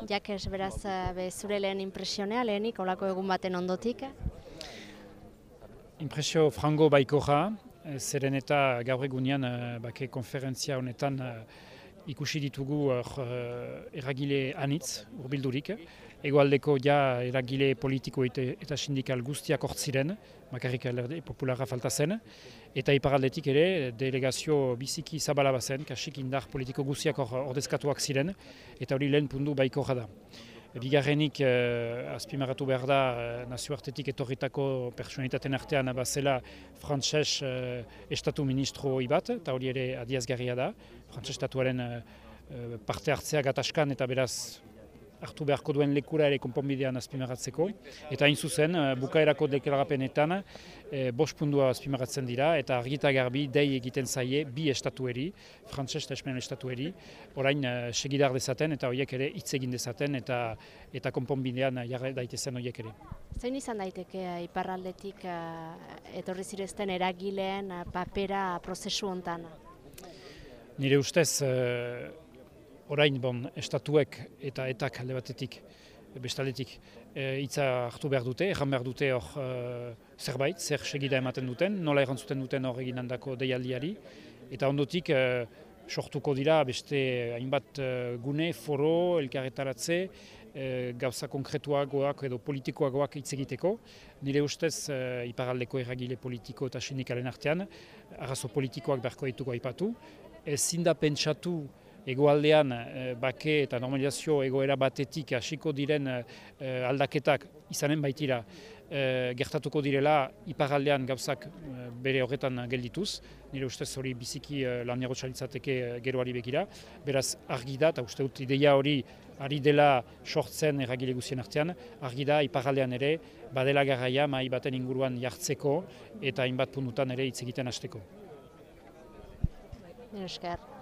Jakes, beraz, zure lehen impresionea, lehenik, olako egun baten ondotik? Impresio frango baikorra, zeren eta gaur egunean bake konferentzia honetan ikusi ditugu eragile anitz, urbildurik. Hegoaldeko eragile politiko eta sindikal guztiak hortziren, bakarrik Alderdi Popularra falta zen, eta iparaldetik ere delegazio biziki zabala bazen, kasik indar politiko guztiak ordezkatuak ziren, eta hori lehen puntu baikorra da. Bigarrenik azpimarratu behar da nazioartetik etorritako pertsonalitateen artean bazela frantses estatu ministro bat, eta hori ere adiazgarria da. Frantses estatuaren parte hartzea gatazkan eta beraz hartu beharko duen lekura ere konponbidean azpimarratzeko. Eta hain zuzen, bukaerako deklarapenetan 5 puntua azpimarratzen dira eta argita garbi dei egiten zaie bi estatueri, frantses eta espanol estatueri, orain segidar dezaten eta horiek ere hitz egin dezaten eta konponbidean jarri daitezen horiek ere. Zein izan daiteke iparraldetik etorri zirezten eragileen papera prozesu hontan? Nire ustez, orain estatuek eta etak alde batetik, bestaldetik hitza hartu behar dute, erran behar dute hor zerbait, zer segida ematen duten, nola errantzuten duten hor egin handako deialdiari, eta ondotik sortuko dira beste hainbat gune, foro, elkarretaratze, gauza konkretuagoak edo politikoagoak hitz egiteko. Nire ustez iparaldeko eragile politiko eta sindikalen artean, arazo politikoak beharko dituko aipatu, ezin da pentsatu Hegoaldean bake eta normalizazio egoera batetik hasiko diren aldaketak izanen baitira gertatuko direla iparaldean gauzak bere horretan geldituz. Nire ustez hori biziki lanierotxalitzateke geroari begira. Beraz argi da, eta uste dut ideia hori ari dela sortzen eragile guztien artean, argi da iparaldean ere badela garaia mahai baten inguruan jartzeko eta hainbat puntutan ere hitz egiten hasteko. Esker.